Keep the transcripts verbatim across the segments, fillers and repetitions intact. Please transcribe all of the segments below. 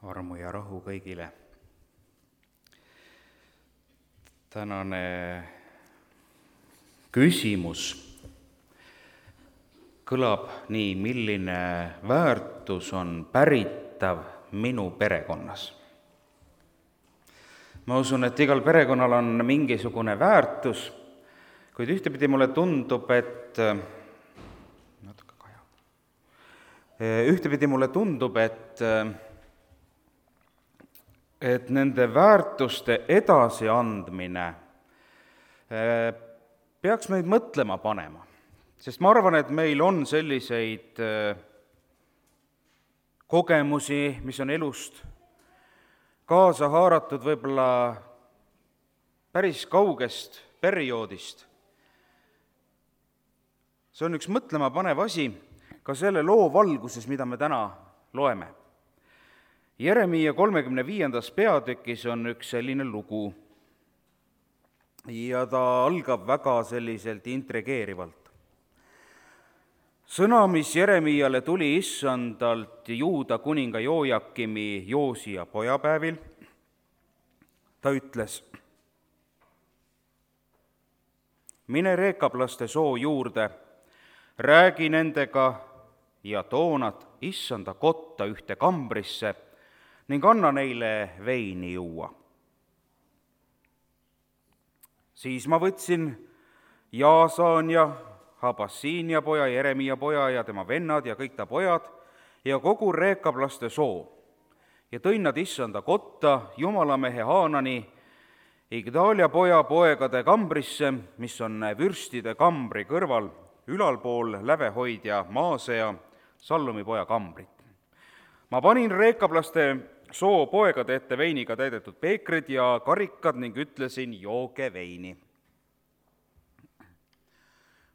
armu ja rahu kõigile. Tänane küsimus kõlab nii, milline väärtus on päritav minu perekonnas. Ma usun, et igal perekonnal on mingisugune väärtus, kuid ühtepidi mulle tundub, et natuke kaja. Ühtepidi mulle tundub, et et nende väärtuste edasiandmine peaks meid mõtlema panema. Sest ma arvan, et meil on selliseid kogemusi, mis on elust kaasa haaratud võib-olla päris kaugest perioodist. See on üks mõtlema panev asi ka selle loo valguses, mida me täna loeme. Jeremiia kolmekümne viiendas peatükis on üks selline lugu ja ta algab väga selliselt intrigeerivalt. Sõna, mis Jeremiale tuli issandalt Juuda kuninga Joojakimi Joosia pojapäevil, ta ütles: mine reekablaste soo juurde, räägi nendega ja too nad issanda kotta ühte kambrisse ning anna neile veini juua. Siis ma võtsin Jaasania, Habassiinia poja, Jeremiia poja ja tema vennad ja kõik ta pojad ja kogu reekablaste soo ja tõin nad issanda kotta jumalamehe Haanani, Igdalia poja poegade kambrisse, mis on vürstide kambri kõrval, ülalpool lävehoidja Maasea, Sallumi poja kambrit. Ma panin reekablaste soo poegade ette veiniga täidetud peekrid ja karikad ning ütlesin: jooge veini.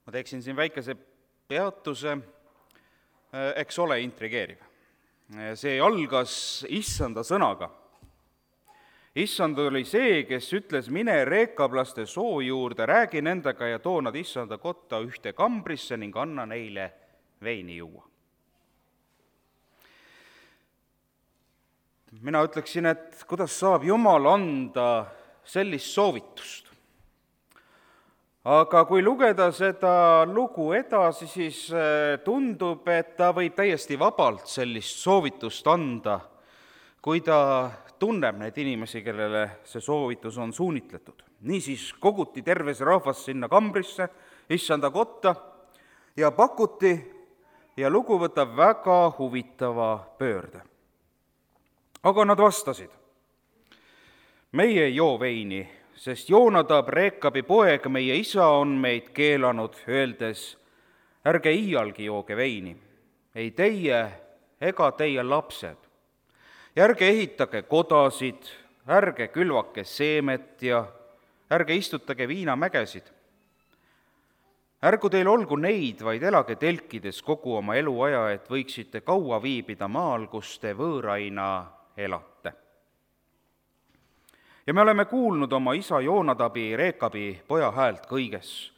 Ma teeksin siin väikese peatuse, eks ole intrigeeriv. See algas issanda sõnaga. Issand oli see, kes ütles: mine reekablaste soo juurde, räägi nendega ja too nad issanda kotta ühte kambrisse ning anna neile veini juua. Mina ütleksin, et kuidas saab Jumal anda sellist soovitust. Aga kui lugeda seda lugu edasi, siis tundub, et ta võib täiesti vabalt sellist soovitust anda, kui ta tunneb neid inimesi, kellele see soovitus on suunitletud. Niisiis koguti terve see rahvas sinna kambrisse, issanda kotta ja pakuti ja lugu võtab väga huvitava pöörde. Aga nad vastasid: meie ei joo veini, sest Joonadab, Reekabi poeg, meie isa on meid keelanud, öeldes: ärge iialgi jooge veini, ei teie ega teie lapsed. Ja ärge ehitage kodasid, ärge külvake seemet ja ärge istutage viinamägesid. Ärgu teil olgu neid, vaid elage telkides kogu oma eluaja, et võiksite kaua viibida maal, kus te võõraina elate. Ja me oleme kuulnud oma isa Joonadabi, Reekabi poja häält kõiges,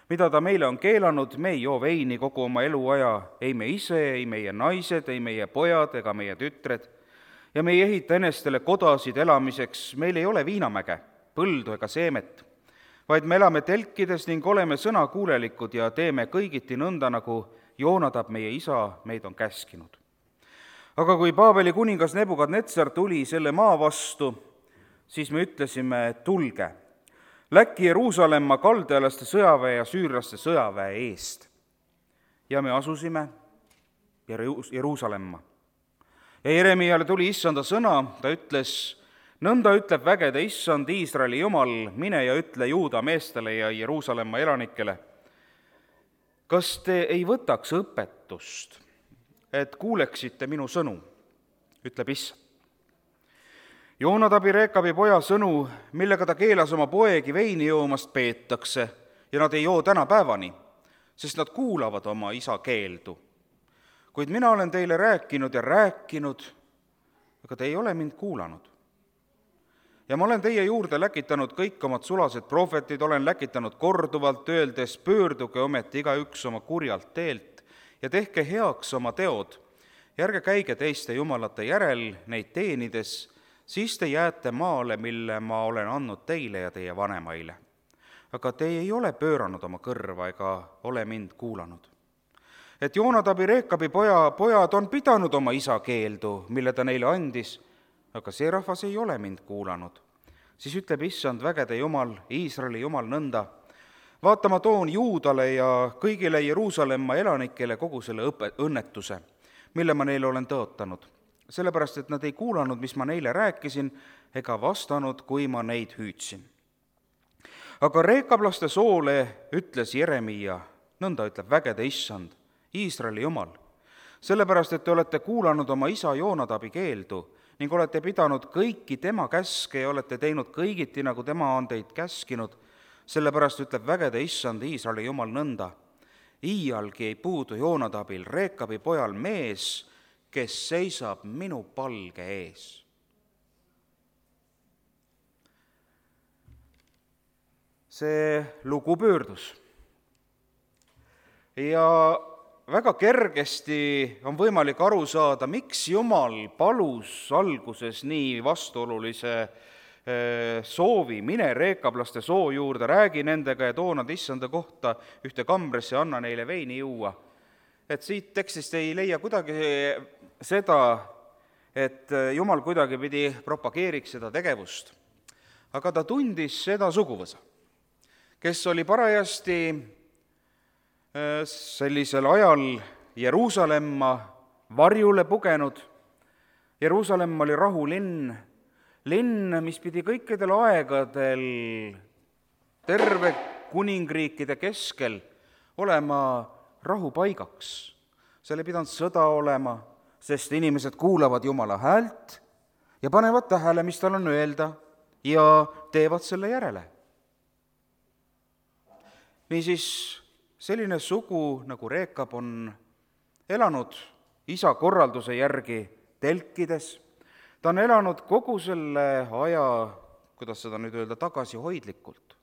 mida ta meile on keelanud, me ei joo veini kogu oma eluaja, ei me ise, ei meie naised, ei meie pojad ega meie tütred, ja me ei ehita enestele kodasid elamiseks, meil ei ole viinamäge, põldu ega seemet, vaid me elame telkides ning oleme sõnakuulelikud ja teeme kõigiti nõnda, nagu Joonadab meie isa meid on käskinud. Aga kui Paabeli kuningas Nebukadnetsar tuli selle maa vastu, siis me ütlesime: tulge, läkki Jeruusalemma kaldealaste sõjaväe ja süürlaste sõjaväe eest. Ja me asusime Jeruusalemma. Ja Jeremiale tuli issanda sõna, ta ütles: nõnda ütleb vägede issand, Iisraeli Jumal, mine ja ütle Juuda meestele ja Jeruusalemma elanikele: kas te ei võtaks õpetust, et kuuleksite minu sõnu, ütleb issand. Joonadabi, Reekabi poja sõnu, millega ta keelas oma poegi veini joomast, peetakse ja nad ei joo tänapäevani, sest nad kuulavad oma isa keeldu. Kuid mina olen teile rääkinud ja rääkinud, aga te ei ole mind kuulanud. Ja ma olen teie juurde läkitanud kõik omad sulased prohvetid, olen läkitanud korduvalt, öeldes: pöörduge ometi igaüks oma kurjalt teelt ja tehke heaks oma teod ja ärge käige teiste jumalate järel neid teenides, siis te jääte maale, mille ma olen andnud teile ja teie vanemaile. Aga te ei ole pööranud oma kõrva ega ole mind kuulanud. Et Joonadabi, Reekabi poja, pojad on pidanud oma isa keeldu, mille ta neile andis, aga see rahvas ei ole mind kuulanud. Siis ütleb issand vägede jumal, Iisraeli jumal nõnda, vaata, ma toon Juudale ja kõigile Jeruusalemma elanikele kogu selle õpe, õnnetuse, mille ma neile olen tõotanud, sellepärast et nad ei kuulanud, mis ma neile rääkisin, ega vastanud, kui ma neid hüüdsin. Aga reekablaste soole ütles Jeremia, nõnda ütleb vägede issand, Iisraeli jumal, sellepärast et te olete kuulanud oma isa Joonadabi keeldu ning olete pidanud kõiki tema käske ja olete teinud kõigiti, nagu tema on teid käskinud, sellepärast ütleb vägede issand, Iisraeli jumal nõnda, iialgi ei puudu Joonadabil, Reekabi pojal mees, kes seisab minu palge ees. See lugu pöördus ja väga kergesti on võimalik aru saada, miks Jumal palus alguses nii vastuolulise soovi, mine reekablaste soo juurde, räägi nendega ja too nad issanda kohta ühte kambrisse ja anna neile veini juua. Et siit tekstist ei leia kuidagi seda, et Jumal kuidagi pidi propageeriks seda tegevust. Aga ta tundis seda suguvõsa, kes oli parajasti sellisel ajal Jeruusalemma varjule pugenud. Jeruusalemm oli rahulinn, linn, mis pidi kõikidel aegadel terve kuningriikide keskel olema rahupaigaks. Seal ei pidanud sõda olema, sest inimesed kuulavad Jumala häält ja panevad tähele, mis tal on öelda ja teevad selle järele. Niisiis, selline sugu nagu Reekab on elanud isa korralduse järgi telkides. Ta on elanud kogu selle aja, kuidas seda nüüd öelda, tagasihoidlikult.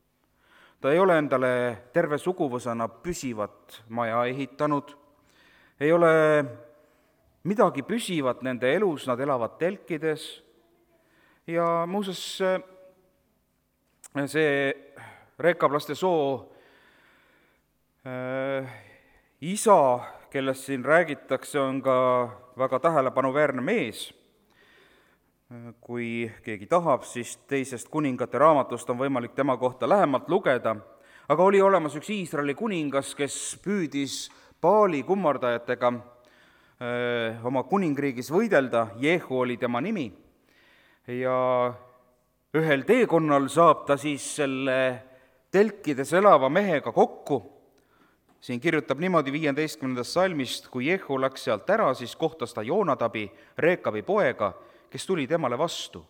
Ta ei ole endale terve suguvõsana püsivat maja ehitanud, ei ole midagi püsivat nende elus, nad elavad telkides ja muuseas see reekablaste soo äh, isa, kellest siin räägitakse, on ka väga tähelepanuväärne mees. Kui keegi tahab, siis teisest kuningate raamatust on võimalik tema kohta lähemalt lugeda, aga oli olemas üks Iisraeli kuningas, kes püüdis Baali kummardajatega öö, oma kuningriigis võidelda, Jehu oli tema nimi, ja ühel teekonnal saab ta siis selle telkides elava mehega kokku. Siin kirjutab niimoodi viieteistkümnendast salmist, kui Jehu läks sealt ära, siis kohtas ta Joonadabi, Reekabi poega, kes tuli temale vastu.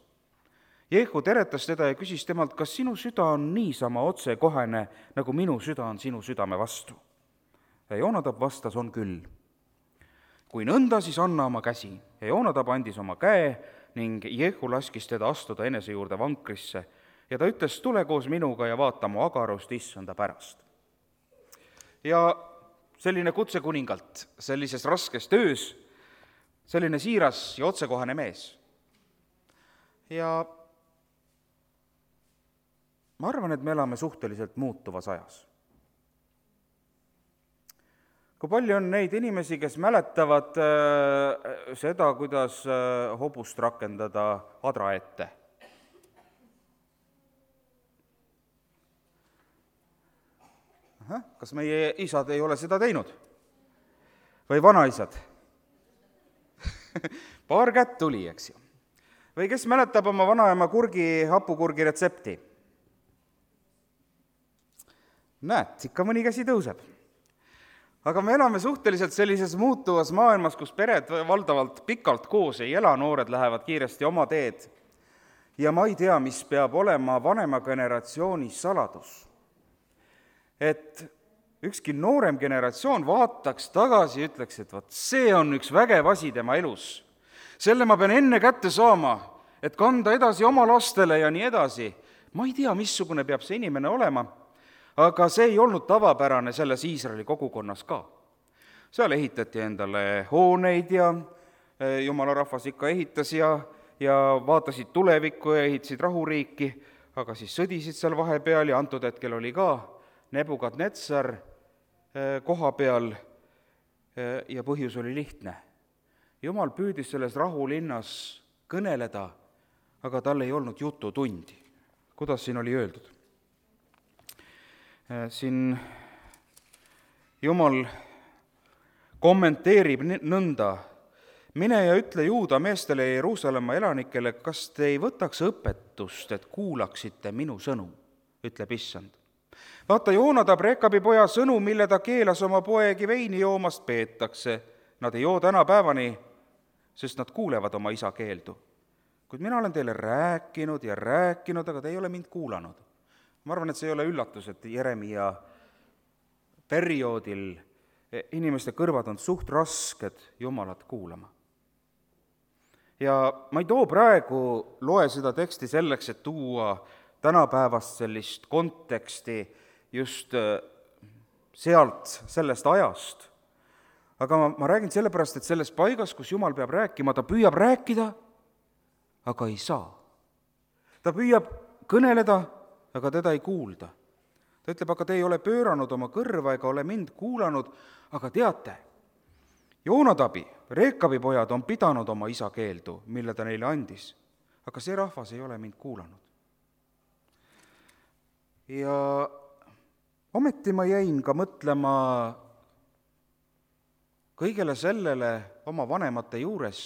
Jehu teretas teda ja küsis temalt, kas sinu süda on niisama otsekohene, nagu minu süda on sinu südame vastu. Ja Joonadab vastas, on küll. Kui nõnda, siis anna oma käsi. Ja Joonadab andis oma käe ning Jehu laskis teda astuda enese juurde vankrisse ja ta ütles, tule koos minuga ja vaata mu agarust issanda pärast. Ja selline kutse kuningalt sellises raskes töös, selline siiras ja otsekohane mees. Ja ma arvan, et me elame suhteliselt muutuvas ajas. Kui palju on neid inimesi, kes mäletavad äh, seda, kuidas äh, hobust rakendada adra ette? Aha, kas meie isad ei ole seda teinud? Või vanaisad? Paar kätt tuli, eks ju. Või kes mäletab oma vanaema kurgi, hapukurgi retsepti? Näed, ikka mõni käsi tõuseb. Aga me elame suhteliselt sellises muutuvas maailmas, kus pered valdavalt pikalt koos ei ela, noored lähevad kiiresti oma teed. Ja ma ei tea, mis peab olema vanema generatsiooni saladus. Et ükski noorem generatsioon vaataks tagasi ja ütleks, et vaat see on üks vägev asi tema elus. Selle ma pean enne kätte saama, et kanda edasi oma lastele ja nii edasi. Ma ei tea, missugune peab see inimene olema, aga see ei olnud tavapärane selles Iisraeli kogukonnas ka. Seal ehitati endale hooneid ja jumala rahvas ikka ehitas ja, ja vaatasid tulevikku ja ehitasid rahuriiki, aga siis sõdisid seal vahepeal ja antud hetkel oli ka Nebukadnetsar koha peal ja põhjus oli lihtne. Jumal püüdis selles rahulinnas kõneleda, aga tal ei olnud jututundi. Kuidas siin oli öeldud? Siin Jumal kommenteerib nõnda: mine ja ütle Juuda meestele ja Jeruusalemma elanikele, kas te ei võtaks õpetust, et kuulaksite minu sõnu, ütleb issand. Vaata, Joonadab, Rekabi poja sõnu, mille ta keelas oma poegi veini joomast, peetakse. Nad ei joo täna päevani, sest nad kuulevad oma isa keeldu. Kuid mina olen teile rääkinud ja rääkinud, aga te ei ole mind kuulanud. Ma arvan, et see ei ole üllatus, et Jeremia perioodil inimeste kõrvad on suht rasked Jumalat kuulama. Ja ma ei too praegu, loe seda teksti selleks, et tuua tänapäevast sellist konteksti just sealt, sellest ajast. Aga ma, ma räägin sellepärast, et selles paigas, kus Jumal peab rääkima, ta püüab rääkida, aga ei saa. Ta püüab kõneleda, aga teda ei kuulda. Ta ütleb, aga te ei ole pööranud oma kõrva ega ole mind kuulanud, aga teate, Joonadabi, Rekabi pojad on pidanud oma isa keeldu, mille ta neile andis, aga see rahvas ei ole mind kuulanud. Ja ometi ma jäin ka mõtlema kõigele sellele oma vanemate juures,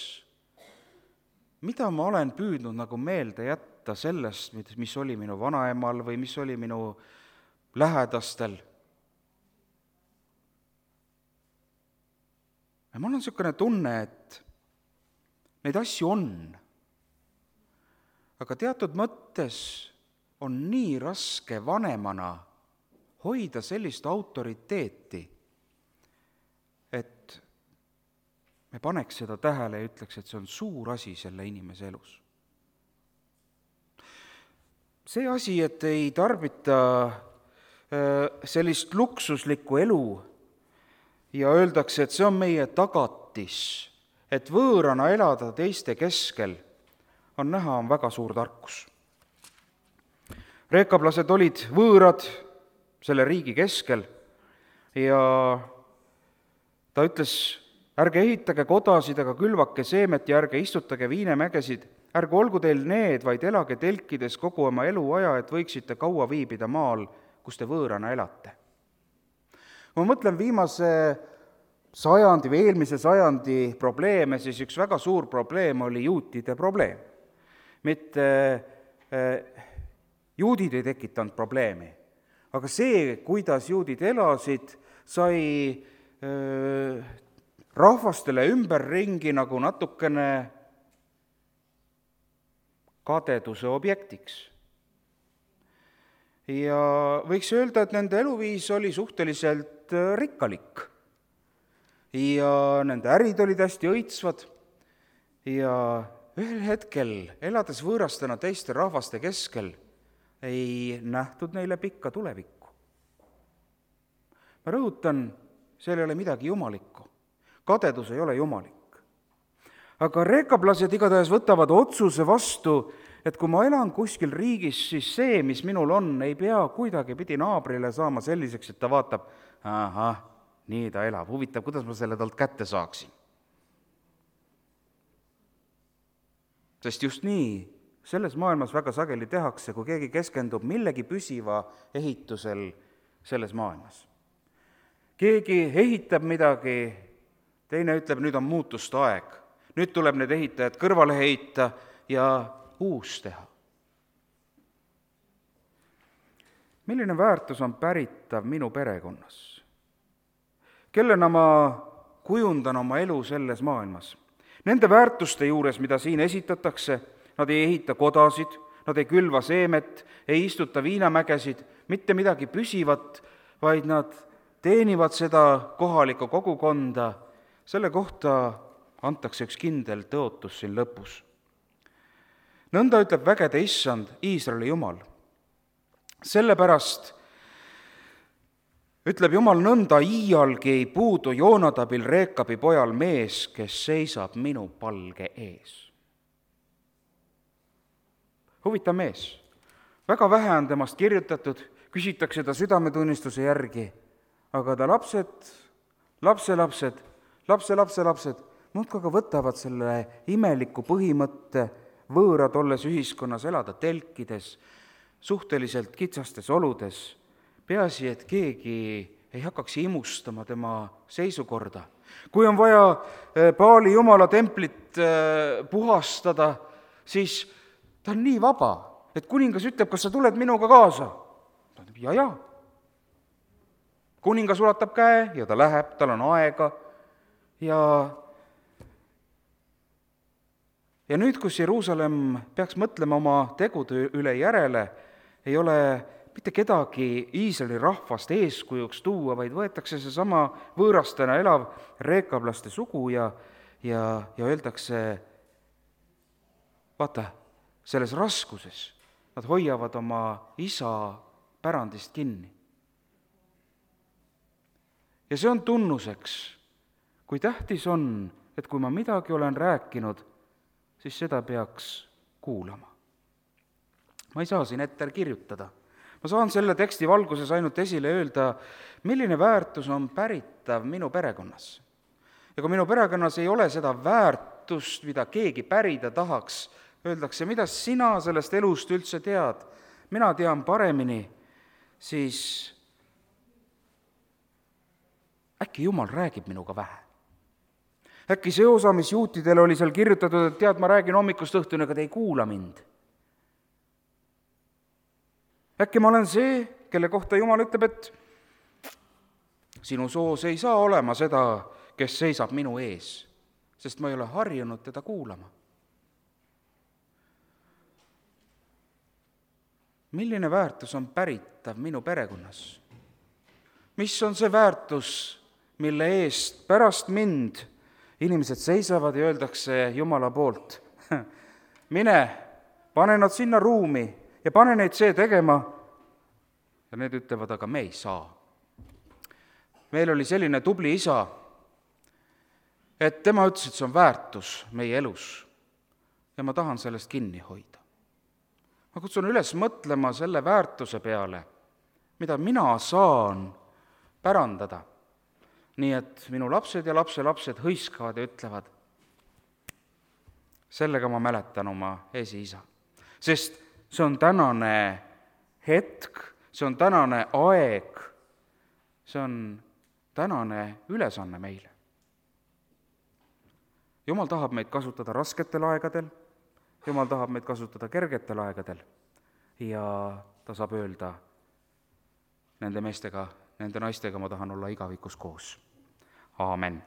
mida ma olen püüdnud nagu meelde jätta sellest, mis oli minu vanaemal või mis oli minu lähedastel. Ja mul on niisugune tunne, et neid asju on, aga teatud mõttes on nii raske vanemana hoida sellist autoriteeti, et me paneks seda tähele ja ütleks, et see on suur asi selle inimese elus. See asi, et ei tarbita sellist luksuslikku elu ja öeldakse, et see on meie tagatis, et võõrana elada teiste keskel, on näha, on väga suur tarkus. Reekablased olid võõrad selle riigi keskel ja ta ütles, ärge ehitage kodasid, aga külvake seemet ja ärge istutage viinemägesid, ärge olgu teil need, vaid elage telkides kogu oma eluaja, et võiksite kaua viibida maal, kus te võõrana elate. Ma mõtlen viimase sajandi või eelmise sajandi probleeme, siis üks väga suur probleem oli juutide probleem. Mitte äh, juudid ei tekitanud probleemi, aga see, kuidas juudid elasid, sai äh, rahvastele ümberringi nagu natukene kadeduse objektiks. Ja võiks öelda, et nende eluviis oli suhteliselt rikkalik ja nende ärid olid hästi õitsvad ja ühel hetkel, elades võõrastena teiste rahvaste keskel, ei nähtud neile pikka tulevikku. Ma rõhutan, seal ei ole midagi jumalikku. Kadedus ei ole jumalik. Aga reekablased igatahes võtavad otsuse vastu, et kui ma elan kuskil riigis, siis see, mis minul on, ei pea kuidagi pidi naabrile saama selliseks, et ta vaatab, ahah, nii ta elab, huvitav, kuidas ma selle talt kätte saaksin. Sest just nii selles maailmas väga sageli tehakse, kui keegi keskendub millegi püsiva ehitusel selles maailmas. Keegi ehitab midagi, teine ütleb, nüüd on muutuste aeg. Nüüd tuleb need ehitajad kõrvale heita ja uus teha. Milline väärtus on päritav minu perekonnas? Kellena ma kujundan oma elu selles maailmas? Nende väärtuste juures, mida siin esitatakse, nad ei ehita kodasid, nad ei külva seemet, ei istuta viinamägesid, mitte midagi püsivat, vaid nad teenivad seda kohalikku kogukonda. Selle kohta antakse üks kindel tõotus siin lõpus. Nõnda ütleb vägede issand, Iisraeli Jumal. Sellepärast ütleb Jumal nõnda, iialgi ei puudu Joonadabil, Reekabi pojal mees, kes seisab minu palge ees. Huvitav mees, väga vähe on temast kirjutatud, küsitakse ta südametunnistuse järgi, aga ta lapsed, lapselapsed, lapselapselapsed muudkui aga võtavad selle imeliku põhimõtte, võõrad olles ühiskonnas, elada telkides, suhteliselt kitsastes oludes, peaasi, et keegi ei hakkaks imustama tema seisukorda. Kui on vaja Paali jumala templit puhastada, siis ta on nii vaba, et kuningas ütleb, kas sa tuled minuga kaasa? Ta ütleb, ja, ja. Kuningas ulatab käe ja ta läheb, tal on aega ja ja nüüd, kus Jeruusalemm peaks mõtlema oma tegude üle järele, ei ole mitte kedagi Iisraeli rahvast eeskujuks tuua, vaid võetakse seesama võõrastena elav reekablaste sugu ja, ja, ja öeldakse, vaata, selles raskuses nad hoiavad oma isa pärandist kinni. Ja see on tunnuseks, kui tähtis on, et kui ma midagi olen rääkinud, siis seda peaks kuulama. Ma ei saa siin ette kirjutada. Ma saan selle teksti valguses ainult esile öelda, milline väärtus on päritav minu perekonnas. Ja kui minu perekonnas ei ole seda väärtust, mida keegi pärida tahaks, öeldakse, mida sina sellest elust üldse tead, mina tean paremini, siis äkki Jumal räägib minuga vähe. Äkki see osa, mis juutidele oli seal kirjutatud, et tead, ma räägin hommikust õhtuni, aga te ei kuula mind. Äkki ma olen see, kelle kohta Jumal ütleb, et sinu soos ei saa olema seda, kes seisab minu ees, sest ma ei ole harjunud teda kuulama. Milline väärtus on päritav minu perekonnas? Mis on see väärtus, mille eest pärast mind inimesed seisavad ja öeldakse Jumala poolt, mine, pane nad sinna ruumi ja pane neid see tegema. Ja need ütlevad, aga me ei saa. Meil oli selline tubli isa, et tema ütles, et see on väärtus meie elus ja ma tahan sellest kinni hoida. Ma kutsun üles mõtlema selle väärtuse peale, mida mina saan pärandada. Nii et minu lapsed ja lapselapsed hõiskavad ja ütlevad, sellega ma mäletan oma esiisa. Sest see on tänane hetk, see on tänane aeg, see on tänane ülesanne meile. Jumal tahab meid kasutada rasketel aegadel, Jumal tahab meid kasutada kergetel aegadel ja ta saab öelda nende meestega, nende naistega ma tahan olla igavikus koos. Aamen.